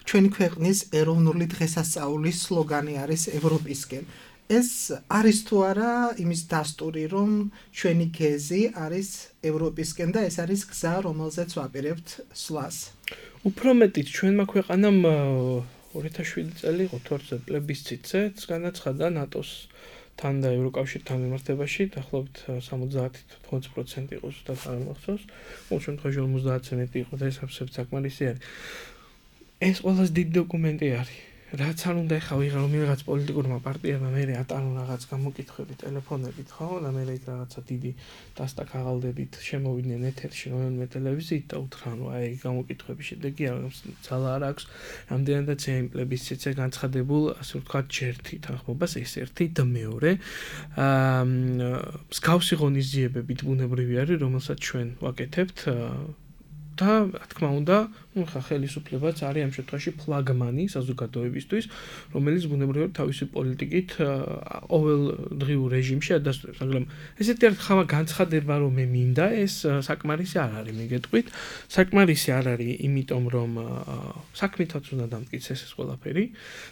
ჩვენი ქვეყნის ეროვნული დღესასწაულის სლოგანი არის ევროპისკენ. ეს არის თუ არა იმის დასტური, რომ ჩვენი გეზი არის ევროპისკენ და ეს არის გზა, რომელზეც ვაპირებთ სვლას. უფრო მეტიც ჩვენმა ქვეყანამ 2007 წელი იყო თორზე პლებისციტზე განაცხადა ნატოს თან და ევროკავშირთან მიმართებაში, დაახლოებით 70-80% იყო ზუსტად არ მახსოვს. ყოველ შემთხვევაში 50-ზე მეტი იყო და ეს აბსოლუტურად საკმარისი არის. ეს ყველაზე დიდი დოკუმენტი არის. რაც არ უნდა ეხა ვიღა რომ რაღაც პოლიტიკურმა პარტიებმა მე ატარონ რაღაც გამოკითხვები ტელეფონებით, ხო? და მე იქ რაღაცა დიდი დასტა ქაღალდებით შემოვიდნენ ეთერში რომელიმე ტელევიზიით და უთხრან რომ აი გამოკითხვების შედეგი ძალა არ აქვს. რამდენადაც იმ პლებისციტზე განცხადებულ, ასე ვთქვათ, ჯერთი თანხმობას, ეს ერთი და მეორე. მსგავსი ღონისძიებებით ბუნებრივი არის, რომელსაც ჩვენ ვაკეთებთ და რა თქმა უნდა, ხა ხელისუფლებაც არის ამ შემთხვევაში ფლაგმანი საზოგადოებისთვის, რომელიც ბუნებრივად თავისი პოლიტიკით ყოველდღიურ რეჟიმში ადასტურებს, მაგრამ ესეთი ხავა განცხადება რომ მე მინდა, ეს საკმარისი არ არის, მიგეტყვით. საკმარისი არ არის, იმიტომ რომ საქმითაც უნდა დამტკიცეს ეს ყველაფერი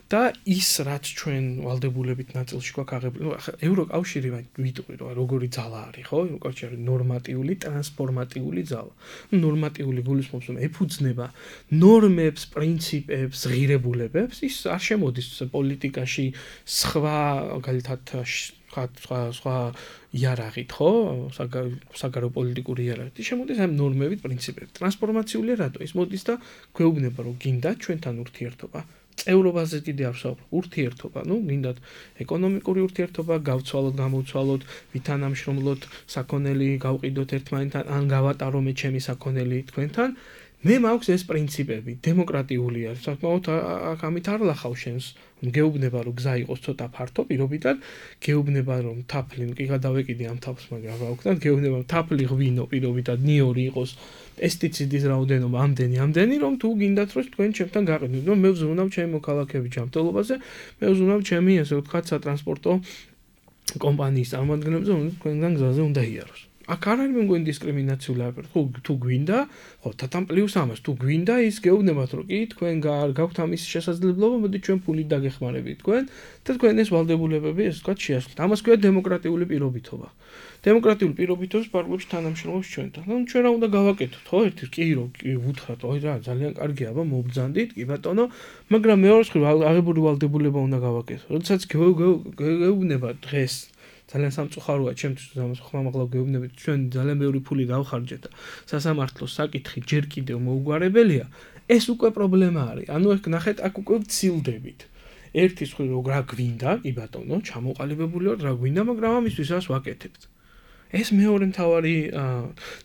და ის რაც ჩვენ ვალდებულებით ნაწილში გვაქვს აღებული, ხა ევროკავშირი ვიტყვი რომ როგორი ძალა არის, ხო? ევროკავშირი ნორმატიული, ტრანსფორმატიული ძალა. ნორმატიული გულისხმობს რომ ეფუძნება ნორმებს, პრინციპებს, ღირებულებებს, ის არ შემოდის პოლიტიკაში სხვა მაგალითად სხვა იარაღით, ხო? საგარეო პოლიტიკური იარაღით. ის შემოდის ამ ნორმებით, პრინციპებით. ტრანსფორმაციული რატო? ის მოდის და გვეუბნება რომ გინდა ჩვენთან ურთიერთობა. წევრობაზე კიდე არ ვსაუბრობ, ურთიერთობა, გინდათ ეკონომიკური ურთიერთობა, გავცვალოთ, გამოვცვალოთ, ვითანამშრომლოთ, საქონელი გავყიდოთ ერთმანეთთან, ან გავატარო მე ჩემი საქონელი თქვენთან. მე მაქვს ეს პრინციპები, დემოკრატიული არის. საკმაოდ ამით არ ლახავ შენს. გეუბნება რომ გზა იყოს ცოტა ფართო, პირობითად, გეუბნება რომ თაფლი კი გადავეკიდე ამ თაფლს, მაგრამ რა ვქნათ, გეუბნება რომ თაფლი ღვინო პირობითად ნიორი იყოს, პესტიციდის რაოდენობა ამდენი, რომ თუ გინდათ რომ თქვენ ჩემთან გაყიდოთ. მე ვზრუნავ ჩემი მოქალაქეების ჯანმრთელობაზე, მე ვზრუნავ ჩემი, ასე ვთქვათ, სატრანსპორტო კომპანიის წარმომადგენლებზე, რომელიც თქვენგან გზაზე უნდა იაროს. აქ არ არის მეგონი დისკრიმინაციული აფერი. თუ გვინდა, ხო, თათან პლუს ამას, თუ გვინდა ის გეუბნებათ, რომ კი თქვენ გაქვთ ამის შესაძლებლობა, მოდი ჩვენ ფულით დაგეხმარებით თქვენ და თქვენ ეს ვალდებულებები, ასე ვთქვათ, შეასრულოთ. ამას ქვია დემოკრატიული პირობითობა. დემოკრატიული პირობითობის პარლამენტში თანამშრომლობს ჩვენთან. ჩვენ რა უნდა გავაკეთოთ, ხო? ერთი კი ვუთხრათ, ой რა, ძალიან კარგია, აბა მობძანდით, კი ბატონო, მაგრამ მეორე მხრივ აღებული ვალდებულება უნდა გავაკეთოთ. როდესაც გეუბნება დღეს ძალიან სამწუხაროა ჩემთვის ამას ხმამაღლა გეუბნებით ჩვენ ძალიან ბევრი ფული გავხარჯეთ და სასამართლოს საკითხი ჯერ კიდევ მოუგვარებელია ეს უკვე პრობლემა არის ანუ ეგ ნახეთ აქ უკვე ვცილდებით ერთის მხრივ რა გვინდა კი ბატონო ჩამოყალიბებული ვარ რა გვინდა მაგრამ ამისთვის რას ვაკეთებთ ეს მეორე მთავარი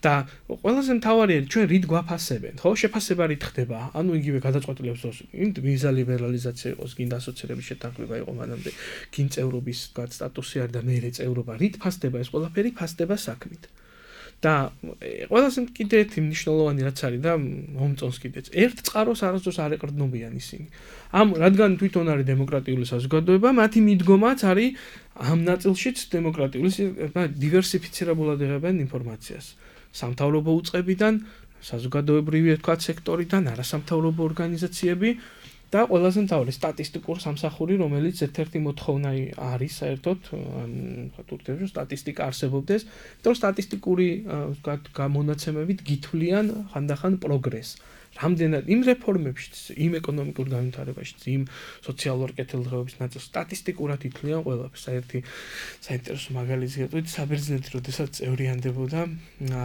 და ყველაზე მთავარი არის ჩვენ რით გვაფასებენ ხო შეფასება რით ხდება ანუ იგივე გადაწყვეტილებს ვიზა ლიბერალიზაცია იყოს გინდა ასოცირების შეთანხმება იყო მანამდე გინ წევრობის სტატუსი არის და მეორე წევრობა რით ფასდება ეს ყველაფერი ფასდება საქმით და ყველაზე კიდე ერთი მნიშვნელოვანი რაც არის და მომწონს კიდეც ერთ წყაროს არასდროს არ ეყრდნობიან ისინი ამ რადგან თვითონ არის დემოკრატიული საზოგადოება მათი მიდგომაც არის ამ ნაწილშიც დემოკრატიული დივერსიფიცირებულად იღებენ ინფორმაციას სამთავრობო უწყებიდან საზოგადოებრივი თქვათ სექტორიდან არასამთავრობო ორგანიზაციები და ყველაზე მთავარი სტატისტიკურ სამსახური რომელიც ერთ-ერთი მოთხოვნა არის საერთოდ თურქეთში სტატისტიკა არსებობდეს იმიტომ სტატისტიკური ვთქვათ გამონაცემებით გითვლიან ხანდახან პროგრესს რამდენად იმ რეფორმებშიც იმ ეკონომიკურ განვითარებაშიც იმ სოციალურ კეთილდღეობის ნაწილს სტატისტიკურად ითვლიან ყველაფერს საერთი საინტერესო მაგალითი გეტყვით საბერძნეთი როდესაც წევრიანდებოდა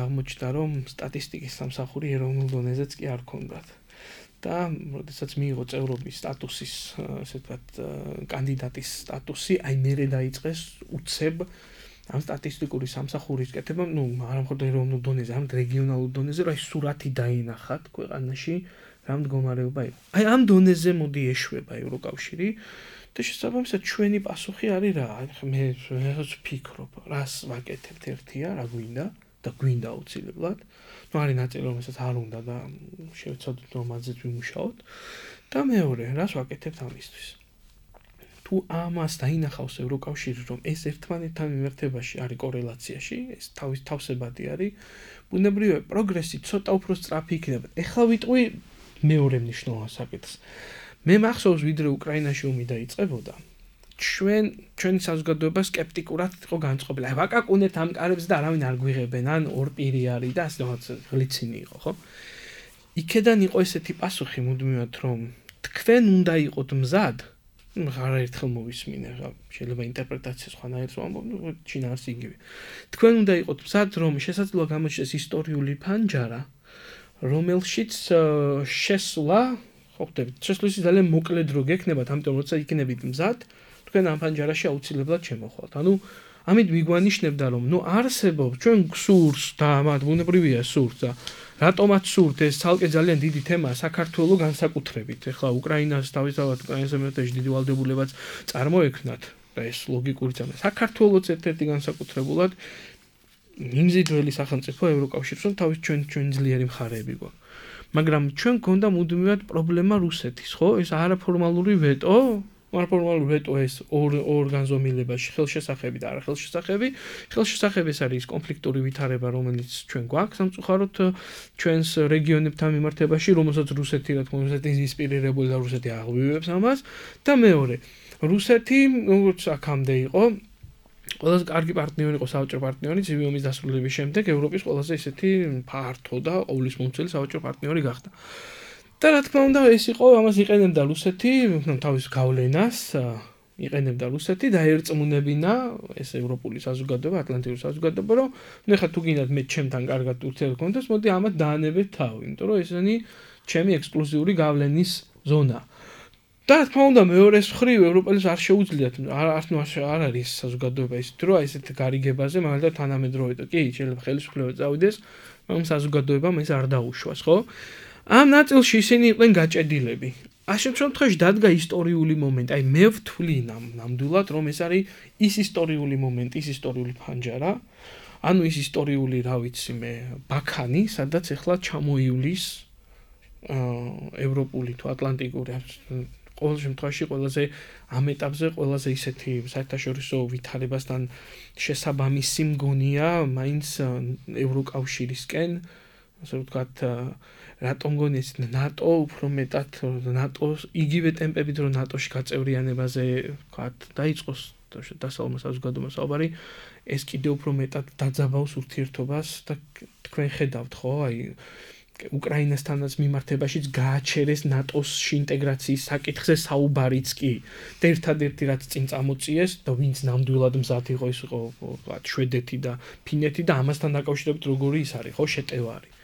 აღმოჩნდა რომ სტატისტიკის სამსახური ეროვნულ დონეზეც კი არ ქონდათ და როდესაც მიიღო წევრობის სტატუსის ასე ვთქვათ კანდიდატის სტატუსი აი მერე დაიწყეს უცებ ამ სტატისტიკური სამსახურის კეთება არა მხოლოდ ეროვნულ დონეზე ამ რეგიონალურ დონეზე რა სურათი დაინახათ ქვეყანაში რა მდგომარეობა იყო აი ამ დონეზე მოდი ეშვება ევროკავშირი და შესაბამისად ჩვენი პასუხი არის რა მე ვფიქრობ რას ვაკეთებთ ერთია რა გვინდა და გვინდა აუცილებლად. ნუ არის ნაწილი, რომელსაც არ უნდა და შევცადოთ რომ ამაზეც ვიმუშაოთ. და მეორე, რას ვაკეთებთ ამისთვის? თუ ამას დაინახავს ევროკავშირი, რომ ეს ერთმანეთთან მიმართებაში არის კორელაციაში, ეს თავსებადი არის, ბუნებრივია პროგრესი ცოტა უფრო სწრაფი იქნება. ეხლა ვიტყვი მეორე მნიშვნელოვან საკითხს. მე მახსოვს, ვიდრე უკრაინაში ომი დაიწყებოდა, ჩვენი საზოგადოება სკეპტიკურად იყო განწყობილი. აი ვაკაკუნებთ ამ კარებს და არავინ არ გვიღებენ, ან ორპირი არის და ასე რაღაც ღლიცინი იყო, ხო? იქედან იყო ესეთი პასუხი მუდმივად, რომ თქვენ უნდა იყოთ მზად, არაერთხელ მოვისმინე, შეიძლება ინტერპრეტაცია სხვანაირად ვამბობ, ჩინა არის იგივე. თქვენ უნდა იყოთ მზად, რომ შესაძლოა გამოჩნდეს ისტორიული ფანჯარა, რომელშიც შესვლა, ხო ხდებით, შესვლისი ძალიან მოკლე დრო გექნებათ, ამიტომ როცა იქნებით მზად, თქვენ ამ ფანჯარაში აუცილებლად შემოხვალთ. ანუ ამით მიგვანიშნებდა, რომ ნუ არსებობს ჩვენ გსურს და მათ ბუნებრივია სურს და რატომაც სურთ ეს ცალკე ძალიან დიდი თემაა საქართველოს განსაკუთრებით. ეხლა უკრაინას თავისთავად უკრაინის მეთეში დიდი ვალდებულებაც წარმოექმნათ და ეს ლოგიკური ძამა. საქართველოს ერთ-ერთი განსაკუთრებულად მიმზიდველი სახელმწიფო ევროკავშირს, რომ თავის ჩვენ ძლიერი მხარეები გვაქვს. მაგრამ ჩვენ გქონდა მუდმივად პრობლემა რუსეთის, ხო? ეს არაფორმალური ვეტო, არაფორმალური ვეტო ეს ორ განზომილებაში ხელშესახები და არახელშესახები. ხელშესახები ეს არის კონფლიქტური ვითარება, რომელიც ჩვენ გვაქვს სამწუხაროდ ჩვენს რეგიონებთან მიმართებაში, რომელსაც რუსეთი რა თქმა უნდა ინსპირირებული და რუსეთი აღვივებს ამას და მეორე, რუსეთი როგორც აქამდე იყო ყველაზე კარგი პარტნიორი იყო საბჭოთა პარტნიორი ცივი ომის დასრულების შემდეგ ევროპის ყველაზე ისეთი ფართო და ყოვლის მომცველი საბჭოთა პარტნიორი გახდა. და რა თქმა უნდა ეს იყო ამას იყენებდა რუსეთი თავის გავლენას იყენებდა რუსეთი და ერწმუნებინა ეს ევროპული საზოგადოება ატლანტიკური საზოგადოება რომ ნუ ხა თუ გინდათ მე ჩემთან კარგად ურთიერთობა გქონდეს მოდი ამათ დაანებეთ თავი იმიტომ რომ ესენი ჩემი ექსკლუზიური გავლენის ზონა და რა თქმა უნდა მეორეს მხრივ ევროპელს არ შეუძლიათ არ არის საზოგადოება ისეთი რომ ესეთ გარიგებაზე მაგალითად თანამედროვე კი შეიძლება ხელისუფლება წავიდეს მაგრამ საზოგადოებამ ეს არ დაუშვას ხო ამ ნაწილში ისინი იყვნენ გაჭედილები. ამ შემთხვევაში დადგა ისტორიული მომენტი. აი მე ვთვლი ნამდვილად რომ ეს არის ის ისტორიული მომენტი, ის ისტორიული ფანჯარა. ანუ ის ისტორიული, რა ვიცი მე, ბაქანი, სადაც ეხლა ჩამოივლის ევროპული თუ ატლანტიკური ყოველ შემთხვევაში ყველაზე ამ ეტაპზე ყველაზე ისეთი საერთაშორისო ვითარებასთან შესაბამისი მგონია მაინც ევროკავშირისკენ, ასე ვთქვათ რატომ გონი ეს ნატო უფრო მეტად ნატოს იგივე ტემპებით რომ ნატოში გაწევრიანებაზე ვთქვათ დაიწყოს დასავლურ საზოგადოებას საუბარი ეს კიდევ უფრო მეტად დაძაბავს ურთიერთობას და თქვენ ხედავთ ხო აი უკრაინასთანაც მიმართებაშიც გააჩერეს ნატოსში ინტეგრაციის საკითხზე საუბარიც კი და ერთადერთი რაც წინ წამოწიეს და ვინც ნამდვილად მზად იყო ის იყო ვთქვათ შვედეთი და ფინეთი და ამასთან დაკავშირებით როგორი ის არის ხო შეტევარი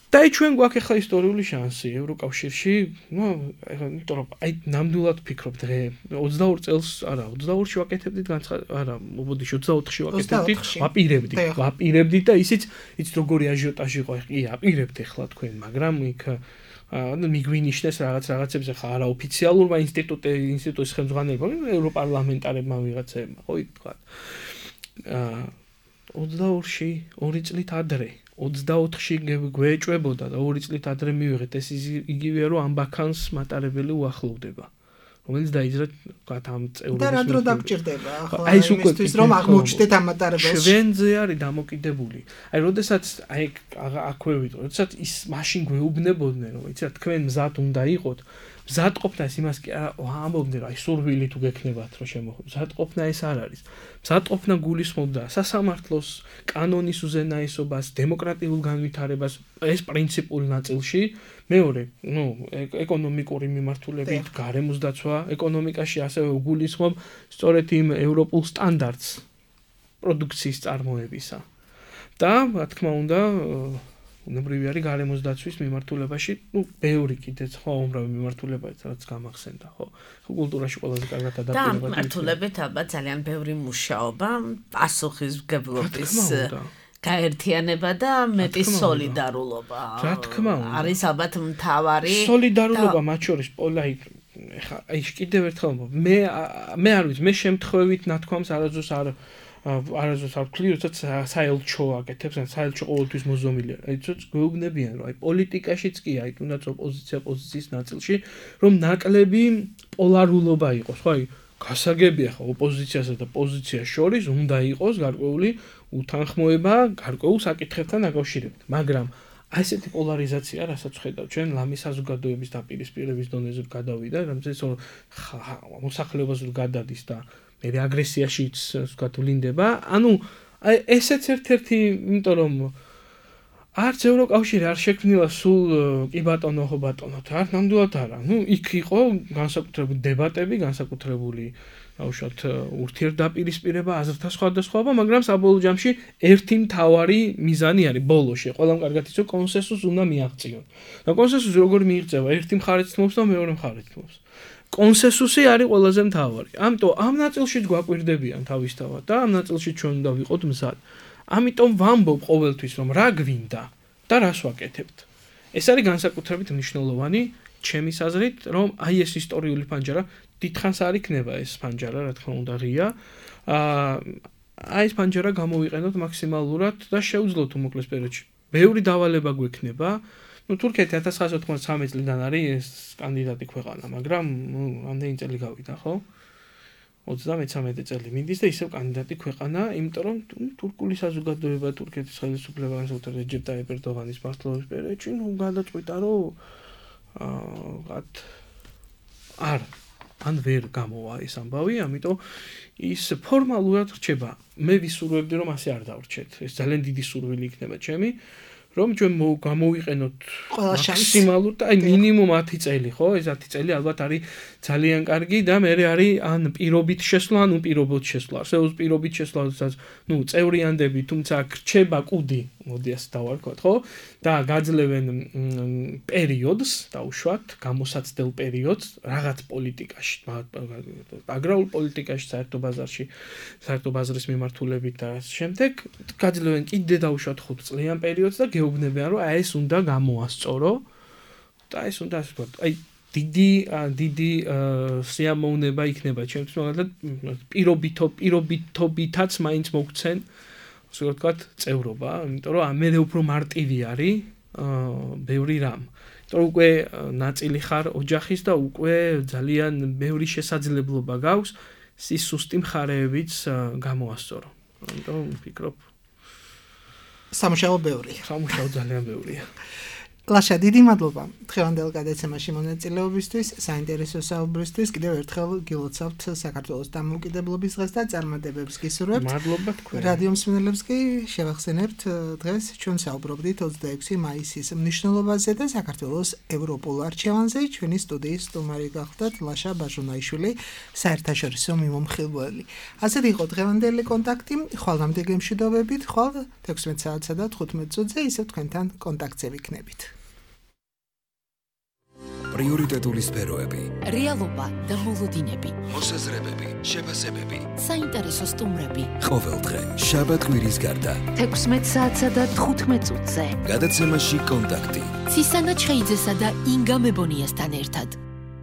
და ჩვენ გვაქვს ახლა ისტორიული შანსი ევროკავშირში, ნუ იმიტომ რომ აი ნამდვილად ვფიქრობ დღე 22 წელს, არა 22-ში ვაკეთებდით არა, მობოდიში 24-ში ვაკეთებდით, ვაპირებდით და ისიც როგორი აჟიოტაჟი იყო, კი აპირებთ ახლა თქვენ, მაგრამ იქ მიგვინიშნეს რაღაცებს ახლა არაოფიციალურმა ინსტიტუტის ხელმძღვანელებმა, ევროპარლამენტარებმა ვიღაცებმა, ხო იქ თქვა. 22-ში 2 წლით ადრე 24-ში გვეჭვებოდა და 2 წლით ადრე მივიღეთ ეს იგივეა რომ ამ ბაქანს მატარებელი უახლოვდება რომელიც დაიძრა თქვათ ამ წევრობის და რა დრო დაგჭირდება ახლა იმისთვის რომ აღმოჩნდეთ ამ მატარებელს ჩვენზე არის დამოკიდებული აი როდესაც აი აქვე ვიტყვი როდესაც ის მაშინ გვეუბნებოდნენ რომ იცით თქვენ მზად უნდა იყოთ მზადყოფნა ეს იმას კი ამბობდნენ რომ აი სურვილი თუ გექნებათ რომ შემოხვდეთ მზადყოფნა ეს არ არის მზადყოფნა გულისხმობდა სასამართლოს კანონის უზენაესობას დემოკრატიულ განვითარებას ეს პრინციპულ ნაწილში მეორე ნუ ეკონომიკური მიმართულებით გარემოს დაცვა ეკონომიკაში ასევე გულისხმობ სწორედ იმ ევროპულ სტანდარტს პროდუქციის წარმოებისა და რა თქმა უნდა უნებრივი არის გარემოს დაცვის მიმართულებაში, ნუ ბევრი კიდეც ხო უმრავი მიმართულებაა, რაც გამახსენდა, ხო. კულტურაში ყველაზე კარგად ადაპტირება. და მიმართულებით ალბათ ძალიან ბევრი მუშაობა, პასუხისმგებლობის გაერთიანება და მეტი სოლიდარულობა. რა თქმა უნდა. არის ალბათ მთავარი სოლიდარულობა მათ შორის პოლაი ეხა აი კიდევ ერთხელ მე არ ვიცი, მე შემთხვევით ნათქვამს არასდროს არ არასდროს არ ვთვლი, როდესაც საელჩო აკეთებს, ან საელჩო ყოველთვის მოზომილია. აი ცოტა გვეუბნებიან, რომ აი პოლიტიკაშიც კი, აი თუნდაც ოპოზიციის ნაწილში, რომ ნაკლები პოლარულობა იყოს, ხო, აი გასაგებია ხო ოპოზიციასა და პოზიციას შორის უნდა იყოს გარკვეული უთანხმოება გარკვეულ საკითხებთან დაკავშირებით. მაგრამ აი ესეთი პოლარიზაცია, რასაც ხედავ ჩვენ ლამის საზოგადოების დაპირისპირების დონეზე გადავიდა, რამაც მოსახლეობას გადადის და მე აგრესიაშიც ვთქვათ ვლინდება. ანუ აი ესეც ერთ-ერთი, იმიტომ რომ არც ევროკავშირი არ შექმნილა სულ კი ბატონო ხო ბატონო, არ ნამდვილად არა. იქ იყო განსაკუთრებული დებატები, განსაკუთრებული უშუალოდ ურთიერთდაპირისპირება, აზრთა სხვადასხვაობა, მაგრამ საბოლოო ჯამში ერთი მთავარი მიზანი არის ბოლოში. ყველამ კარგად იცის, რომ კონსენსუსს უნდა მიაღწიონ. და კონსენსუსი როგორ მიიღწევა? ერთი მხარეც თმობს და მეორე მხარეც თმობს. კონსენსუსი არის ყველაზე მთავარი. ამიტომ ამ ნაწილშიც გვაკვირდებიან თავისთავად და ამ ნაწილში ჩვენ უნდა ვიყოთ მზად. ამიტომ ვამბობ ყოველთვის, რომ რა გვინდა და რას ვაკეთებთ. ეს არის განსაკუთრებით მნიშვნელოვანი ჩემის აზრით, რომ აი ეს ისტორიული ფანჯარა დიდხანს არ იქნება ეს ფანჯარა, რა თქმა უნდა, ღია. აი ეს ფანჯარა გამოვიყენოთ მაქსიმალურად და შევძლოთ უმოკლეს პერიოდში. ბევრი დავალება გვექნება. თურქეთი 1993 წლიდან არის ეს კანდიდატი ქვეყანა, მაგრამ ამდენი წელი გავიდა, ხო? 33 წელი მიდის და ისევ კანდიდატი ქვეყანა, იმიტომ რომ თურქული საზოგადოება, თურქეთის ხელისუფლება, განსაკუთრებით რეჯეპ ტაიპ ერდოღანის მმართველობის პერიოდში, გადაწყვიტა, რომ ან ვერ გამოვა ეს ამბავი, ამიტომ ის ფორმალურად რჩება. მე ვისურვებდი, რომ ასე არ დავრჩეთ. ეს ძალიან დიდი სურვილი იქნება ჩემი. რომ ჩვენ გამოვიყენოთ მაქსიმალურად, აი მინიმუმ 10 წელი, ხო? ეს 10 წელი ალბათ არის ძალიან კარგი და მე არის ან პირობით შესვლა, ან უპირობოდ შესვლა. არსებობს პირობით შესვლა, როდესაც წევრიანდები, თუმცა რჩება კუდი, მოდი ასე დავარქვათ, ხო? და გაძლევენ პერიოდს, დაუშვათ, გამოსაცდელ პერიოდს რაღაც პოლიტიკაში, აგრარულ პოლიტიკაში, საერთო ბაზარში, საერთო ბაზრის მიმართულებით და ამ შემდეგ გაძლევენ კიდე დაუშვათ 5 წლიან პერიოდს და გეუბნებიან, რომ აი ეს უნდა გამოასწორო და ეს უნდა ასე ვთქვათ, აი დიდი სიამოვნება იქნება ჩემთვის, მაგალითად პირობითობითაც მაინც მოგცენ, ასე ვთქვათ, წევრობა, იმიტომ რომ მე უფრო მარტივი არის ბევრი რამ. იმიტომ რომ უკვე ნაწილი ხარ ოჯახის და უკვე ძალიან ბევრი შესაძლებლობა გაქვს ის სუსტი მხარეებიც გამოასწორო. ამიტომ ვფიქრობ სამუშაო ბევრია. სამუშაო ძალიან ბევრია. ლაშა, დიდი მადლობა დღევანდელ გადაცემაში მონაწილეობისთვის, საინტერესო საუბრისთვის. კიდევ ერთხელ გილოცავთ საქართველოს დამოუკიდებლობის დღეს და წარმატებებს გისურვებთ. მადლობა თქვენ. რადიო მსმენელებს კი შევახსენებთ, დღეს ჩვენ საუბრობდით 26 მაისის მნიშვნელობაზე და საქართველოს ევროპულ არჩევანზე. ჩვენი სტუდიის სტუმარი გახლდათ ლაშა ბაჟუნაიშვილი, საერთაშორისო მიმომხილველი. ასეთი იყო დღევანდელი კონტაქტი. ხვალამდე გემშვიდობებით, ხვალ 16 საათსა და 15 წუთზე ისევ თქვენთან კონტაქტზე ვიქნებით. პრიორიტეტული სფეროები, რეალობა და მოლოდინები, მოსაზრებები, შეფასებები, საინტერესო სტუმრები. ყოველდღე, შაბათ-კვირის გარდა, 16 საათსა და 15 წუთზე. გადაცემაში კონტაქტი. ცისანა ჩხეიძესა და ინგა მებონიასთან ერთად.